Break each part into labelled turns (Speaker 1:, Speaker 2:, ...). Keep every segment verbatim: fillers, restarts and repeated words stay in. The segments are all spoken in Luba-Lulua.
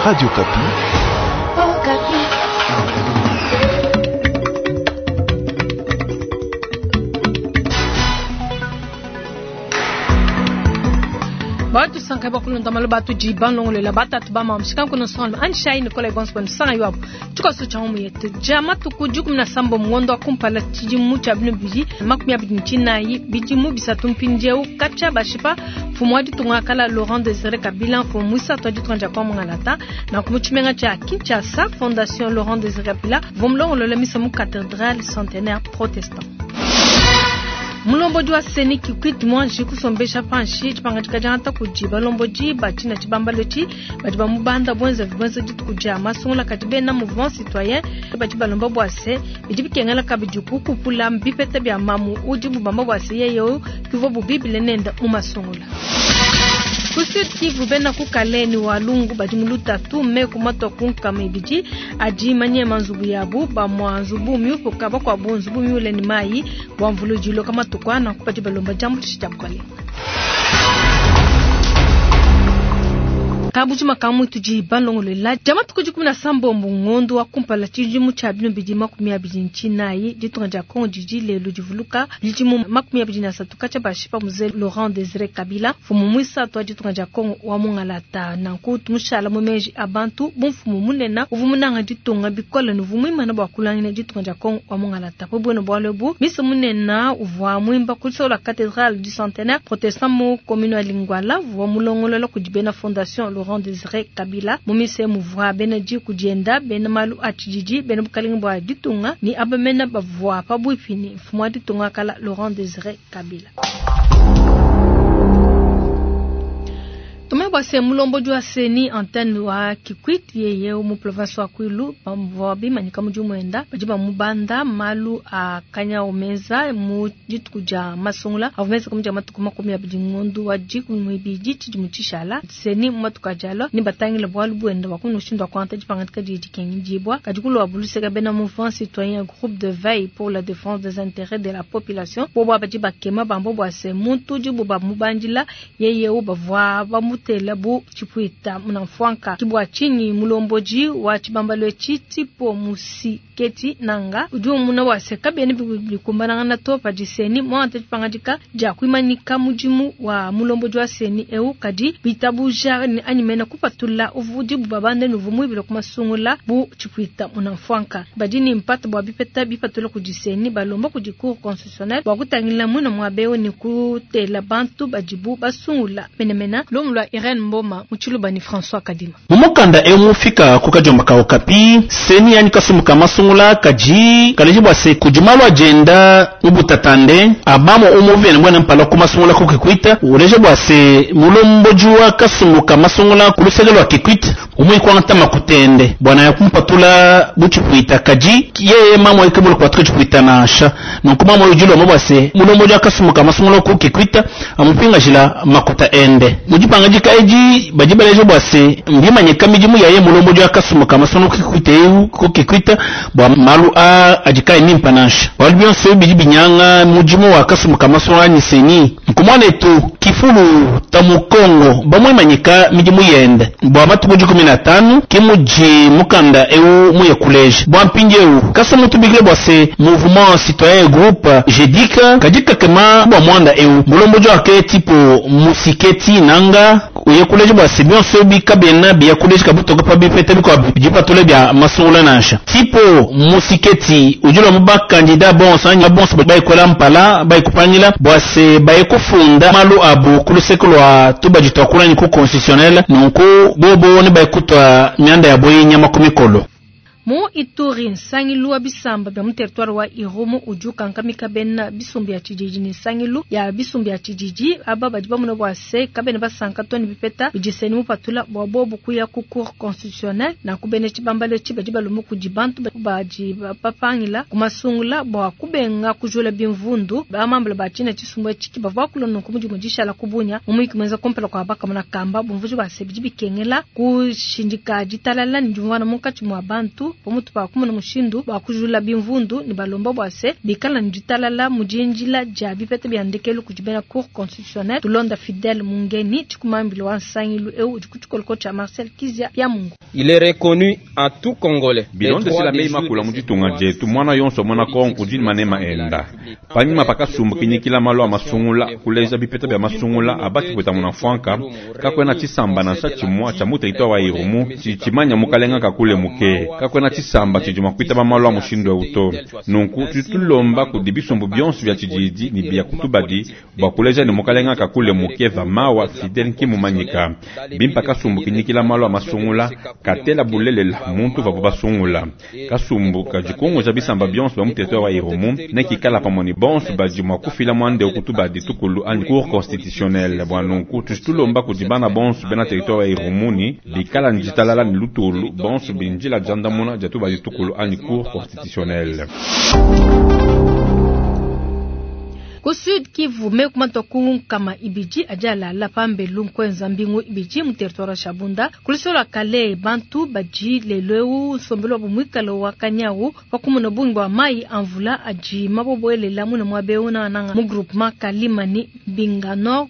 Speaker 1: Radio Okapi.
Speaker 2: Okapi.
Speaker 3: Batusanka bakulonda malo batu jibanlongolela batatu bamamshika kuno songo anshai Nicolas Bonso sanga ywabu tukaso cha mu yetu jama tuku jukumi na sambo ngondo akumpala chijimu cha bino biji makumi abidi nchinayi bijimu bisatu mpindieu kacha bashipa mfumu wa ditunga kala Laurent Désiré Kabila mfumu mwisatu wa ditunga dia kwa mungalata na kumuchimenga cha Kinshasa Fondation Laurent Désiré Kabila vomlongolola misa mu cathédrale centenaire protestant. Mulombodi wa CENI Kikwit mwanji kusombesha panshi chipangatika janta kujiba lomboji bachina chibambalo chi badi bamubanda bwenza bwenza dituku dia masungula kati bena mouvement citoyen badi balomba bwase bidi bikengela kabidi kukupula mbipeta bya mamu udi bubamba bwase yeyo kivo bubibile nenda mu masungula. Ku Sud Kivu bena ku Kaleni wa Lungu badi mu lutatu meku matwa ku nkama ibidi adi manyema nzubu yabu bamwa nzubu miupuka bakwabu nzubu miule ni mayi bwa mvulujilo kama tukwana kupati balomba jambo tisha bukalenga. Kabujima kamwe tuji balongolela jama tukuji kumi na sambombo ngondo wa kumpala chijimu cha bino bidi makumi abidi nchinayi ditunga dia Kongo jiji lelo divuluka bidimu makumi abidi na satu kacha bashipa mzee Laurent Désiré Kabila mfumu mwisatu wa ditunga dia Kongo wa mungalata nanku tumushala mumeji abantu bumfumu munena uvumunanga ditunga bikola nuvumwimana bwa kulangina ditunga dia Kongo wa mungalata po bweno bwalebu misa munena uvwa mwimba kulisola cathédrale du centenaire protestant mu commune ya Lingwala vwa mulongolola kudibena fondation Laurent Désiré Kabila mumise muvwa bena jiku dienda bena malu atshijiji bena bukalinga bwa ditunga ni abamena bavwa pabwipini mfumu wa ditunga kala Laurent Désiré Kabila. Tumebwase mulombodi wa CENI antenne wa Kikwit yeye mu province wa Kwilu bamvwa bimanyika mu jumwenda badi bamubanda malu a kanya omeza mu dituku dia masungula avumeza kamuja matuku makumi abidi ngondu wa dikumi mwibidi tshidimu tshishala CENI mu matuku ajalo ni batangile bwalu bwenda wakunu ushindu wa kwanta dipangatika didi dikengidibwa kadi kulwa buluseka bena mouvement citoyen groupe de veille pour la défense des intérêts de la population bobo badi bakema bambo bwase muntu dibu bamubandila yeye ubavwa bamu tela bu chipuita munamfwanka kibwa chinyi mulomboji wa chibambalo chitipo musiketi nanga udi muna wase kabene bikumbananga na topa diseni mwante chipangadika ja kuimanika mujimu wa mulomboji wa CENI eu kadi bitabuja animena kupatula uvudi bubabande nuvumwibila kumasungula bu chipuita munamfwanka badini mpata bwa bipeta bipatula kudiseni balomba kudi cour constitutionnelle bwa kutangila mwina mwabeo ni kutela bantu badibu basungula menemena lomulwa Irene Mboma muchiluba ni François Kadima.
Speaker 4: Mumukanda emufika kukajomba ka Okapi CENI yani kasumuka masungula kaji kaleji bwase kujumalwa agenda ubutatande abamo umuvene bwana mpala kumasungula ku Kikwita uleje bwase mulomboji wa kasumuka masungula kulusege lwa Kikwita umwikwanta makutende bwana yakumpatula buchipuita kaji yeye mamo ikebula kwa chipuita nasha nonku mamo ujilo mabwase mulomboji wa kasumuka masungula ku Kikwita amupinga jila makuta ende mujipanga jika eji bajibaleje bwase mbimanyika mijimu yaye mulomboji wa kasumuka masungula ku Kikwita eu ku Kikwita bwa malu a ajikaye mimpa nasha wali byonse biji binyanga mujimu wa kasumuka masungula ni CENI nkumwana etu kifulu tamukongo bamwimanyika mijimu yende bwa matuku jikumi na tano kimuji mukanda eu muye kuleje bwa mpingi eu kasa mutubikile bwase mouvement citoyen groupe jedika kadika kema bwa mwanda eu mulomboji wake tipo musiketi nanga uye kuleje bwase byonse bikabena biya kuleje kabutoka pa bipete bikwa bijipatule bya masungula nasha tipo musiketi ujula muba kandida bonso anya bonso baikola mpala baikupangila bwase baikufunda malu abu kuluseko lwa tubaji twakulani ku constitutionnel nunku bobo ne baikutwa myanda ya boyinya makumi kolo.
Speaker 3: Mu Ituri nsangilu wa bisamba bya mu territoire wa Irumu ujuka nkamika bena bisumbi ya tshijiji ni nsangilu ya bisumbi ya tshijiji aba badi bamuna bwase kabene basanka toni bipeta bijiseni mupatula bwa bobu kuya ku cour constitutionnelle na kubene tshibambalo tshi badi balumu kudi bantu badi bapangila kumasungula bwa kubenga kujula bimvundu bamambula bachina tshisumbu tshiki bavua kulona ku mudimu dishala kubunya mumuiki mwenza kompela kwa baka muna kamba bumvuji base bidi bikengela kushindika ditalala ni jumwana munkatshi mwa bantu Pamutu pa kumona mushindu wa kujula bimvundu ne balomba bua se bikala ne ditalala mu dindila dia bipeta bia ndekelu kudi bena cour constitutionnelle. Tulonda Fidèle Mungeni tshikumambile wa nsangilu eu udi ku tshikoloko tshia Marcel Kizia Byamungu.
Speaker 1: Il est reconnu à tout Congolais.
Speaker 5: Bilondeshela meyi makula mu ditunga dietu mwana yonso mwana Kongo udi manema enda panyima pakasumbu kinyikila malu a masungula kuleja bipeta bya masungula abaki kweta muna mfwanka kakwena tshisamba nansha tshimwa tshia mu territoire wa Irumu tshimanya mukalenga kakule muke kakwena tshisamba tshidi kwitaba malu a mushindu eu to nunku tutulomba kudi bisumbu bionso bya tshididi ni bya kutubadi bua kuleja ni mukalenga kakule muke va mawa Fidel nkimumanyika bimpa kasumbu kinyikila malu a masungula katela bulelela muntu vabu basungula kasumbu kadikunguja bisamba bionso bya mu territoire wa Irumu nekikala pamwe ni bonso badi mua kufila mwande okutubadi tukulu anyi cour constitutionnelle bua nunku tutulomba kudi bana bonso bena territoire wa Irumu ni bikala njitalala ni lutulu bonso binjila jandamuna jatubadi tukulu anyi cour constitutionnelle.
Speaker 3: Ku Sud Kivu mekumanta kama ibiji ajala la pambe lunkwenza mbingu ibiji mu territoire Shabunda kulisola kale bantu baji leleu sombelo bumwikalo wa kanyawu wakumuna bungi bwa mai amvula aji mabobwelela muna mwabeuna nanga mu groupement Kalimani Bingano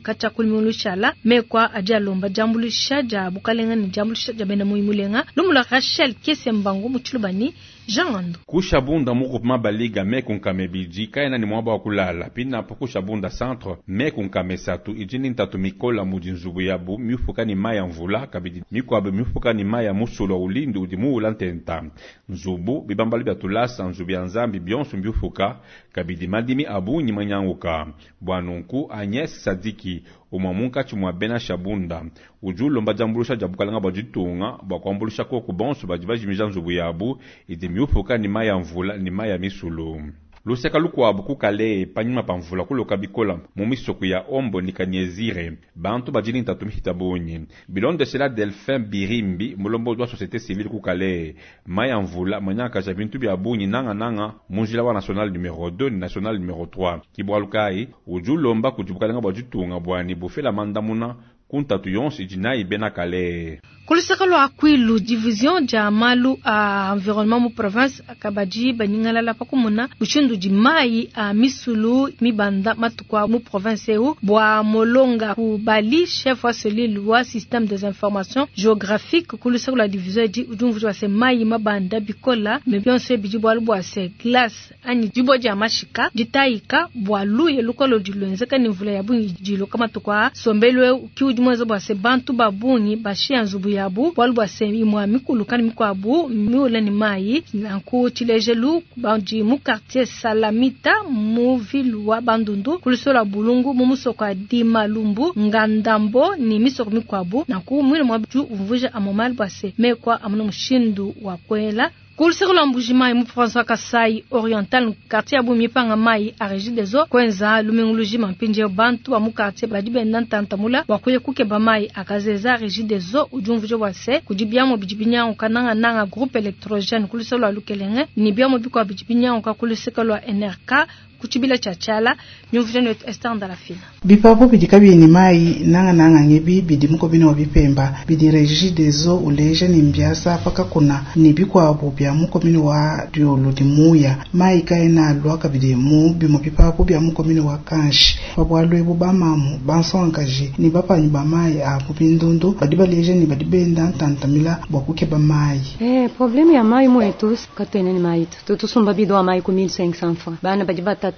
Speaker 3: kacha kulimulushala mekwa ajalomba jambulisha ja bukalenga ni jambulisha ja bena muimulenga lumula Rachel Kesembango muchulubani Jean
Speaker 5: Kushabunda mu groupement Baliga mekunkame biji kaena ni mwaba wa kulala pina po kushabunda centre mekunkame satu ijini ntatu mikola mudi nzubu yabu mifuka ni maya mvula kabidi mikwabe mifuka ni maya musulo ulindi udi muula ntenta nzubu bibambali bya tulasa nzubu ya nzambi bionso mbifuka kabidi madimi abunyi manyanguka bwanunku Agnes Sadiki umwa munkatshi mwa bena Shabunda udi ulomba diambulusha dia bukalanga bua ditunga bua kuambulusha koku bonso badi bajimija nzubu yabu idi miufuka ni maya mvula ni maya misulu. Luseka lukuabu kukale panyima pa mvula kuloka bikola mu misoko ya Ombo ni Kanyezire bantu bajini ntatu mihita bunyi bilondeshela Delphin Birimbi mulombo wa société civile kukale maya mvula manyaka ja bintu bya bunyi nanga nanga munjila wa national numéro deux ni national numéro trois kibwalukai udi ulomba kudi bukalanga bua ditunga bwani bufela mandamuna kuntatu yonso idi nayi bena kale.
Speaker 3: Kulusaka lwa Kwilu division ja malu a environnement mu province akabaji banyingalala pakumuna mushindu di mai a misulu mibanda matukwa mu province eu bwa molonga kubali chef wa cellule wa système des informations géographiques kulusaka lwa division di udumvu wa se mai mabanda bikola me bionso bidi bwalu bwa se glace anyi dibo ja mashika ditaika bwa luye lukolo dilwenzeka ni mvula ya bungi diloka matukwa sombelwe ki udimweza bwa se bantu babungi bashia nzubu yabu bwalu bwa se imwa mikulu kani mikwabu miula ni mai nanku tshilejelu bandi mu quartier Salamita mu ville wa Bandundu kulisola Bulungu mu musoko ya Dimalumbu Ngandambo ni misoko mikwabu nanku mwina mwa ju umvuja amomali bwa se mekwa amuna mushindu wa kwela. Kuluseko la Mbuji-Mayi mu François Kasai Oriental quartier ya Bumi panga mai a régie des eaux kwenza lumenguluji mampinje bantu ba mu quartier badi benda ntantamula wakuye kukeba mai akazeza régie des eaux ujumvuje wase kudibiamo bidibinya kananga nanga groupe électrogène kuluseko la Lukelenge ni biamo bikwa bidibinya ka kuluseko la N R K kuchibila chachala nyumvuje netu Esther Ndalafina
Speaker 6: bipapo bidika bini mai nanga nanga ngebi bidi muko bino bipemba bidi régie des eaux uleje ni mbiasa paka kuna ni bikwabo bya muko bino wa diolo di muya mai kaena lwaka bidi mu bimo bipapo bya muko bino wa kanshi babwalwe bo bamamu bansonkaje ni bapanyi ba mai a bindundu badi baleje ni badi benda ntantamila bwa kukeba mai
Speaker 7: eh problème ya mai mwetu katene ni mai tutusumba bido mai ku mille cinq cents francs bana badi batata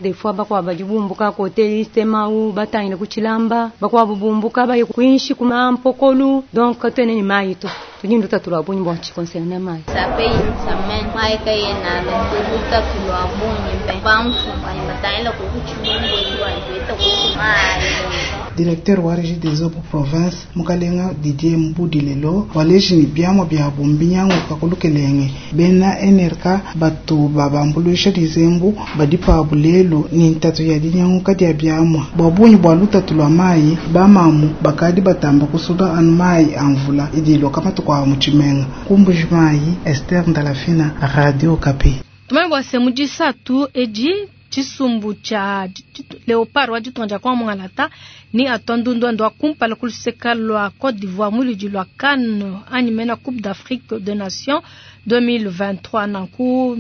Speaker 7: des fois bakwa bajibumbuka kote istema u batangile kuchilamba bakwa bubumbuka baye kuinshi kumampokolu donc katene ni mai tu tunyindu tatulwa bunyi bwa chikonserna mai
Speaker 8: sape samen mai kayena tuta tulwa bunyi be bamfu batangile kuchibumbu tu mai.
Speaker 6: Directeur wa régie des eaux pour province mukalenga Didier Mbudilelo waleji ni biamo bya bumbinyango kakulukelenge bena N R K batu babambulusha dizembu badipa bulelu ni ntatu ya dinyango kadi ya biamwa bwabunyi bwa lutatu lwa mai bamamu bakadi batamba kusuda anu mai amvula idilo kama tukwa muchimenga kumbuji mai Esther Ndalafina Radio Kapi.
Speaker 3: Tumwe semujisa tu eji chisumbu cha leopard wa jitonja kwa mwangalata Ni atua ndundu wa kumpala kuluseka lwa Côte d'Ivoire muludi lwa CAN anyi mena Coupe d'Afrique des Nations deux mille vingt-trois nanku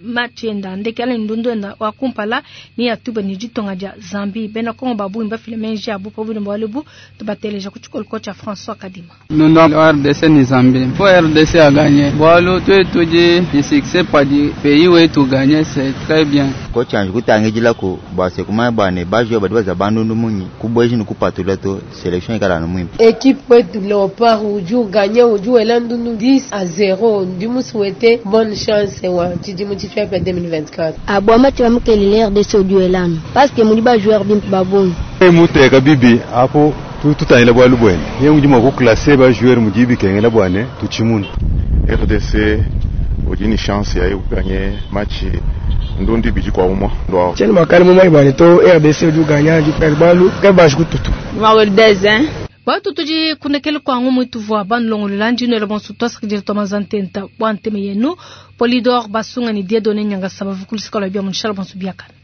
Speaker 3: match enda ndekela ndundu enda wa kumpala ni atuba ni ditonga dia Zambie bena Kongo babu imba filme nji abu po bino bwalebu tubateleja kuchikolo kocha François Kadima.
Speaker 9: Nous R D C ni Zambie. Faut R D C a gagné. Bwalo tu tudi ni succès pas du pays où tu gagné c'est très bien.
Speaker 10: Kocha njukutange ko base kuma bane bajo badi baza bandundu munyi kubweji ni kupatula to selection ikala no mwimpe.
Speaker 11: Équipe wetu Léopard uju gagné uju elandundu dix à zéro. Ndimu souhaiter bonne chance wa tidimu tifia deux mille vingt-quatre.
Speaker 12: Abwa mati wa mkelele R D C uju elano parce que muliba joueur bimpe babongo.
Speaker 13: Muteka bibi apo tutanyela bwalu bwene ye mujima ku classe ba joueur mujibi kengela bwane tuchimunu.
Speaker 14: R D C ojini chance ya gagner match ndondi biji kwa umwa ndo
Speaker 15: cheni makali mu mai bwane to R D C uju gagner ju per balu ke ba jukututu
Speaker 8: Mawel dezen
Speaker 3: Batu tuji kunekele kwangu mwitu vwa banlongolola njino ele bonso twasakidile twamazantenta bwa nteme yenu Polidor Basunga ni Dieudonné Nyanga sabavu kulisika lwa bia munshala bonso biakana.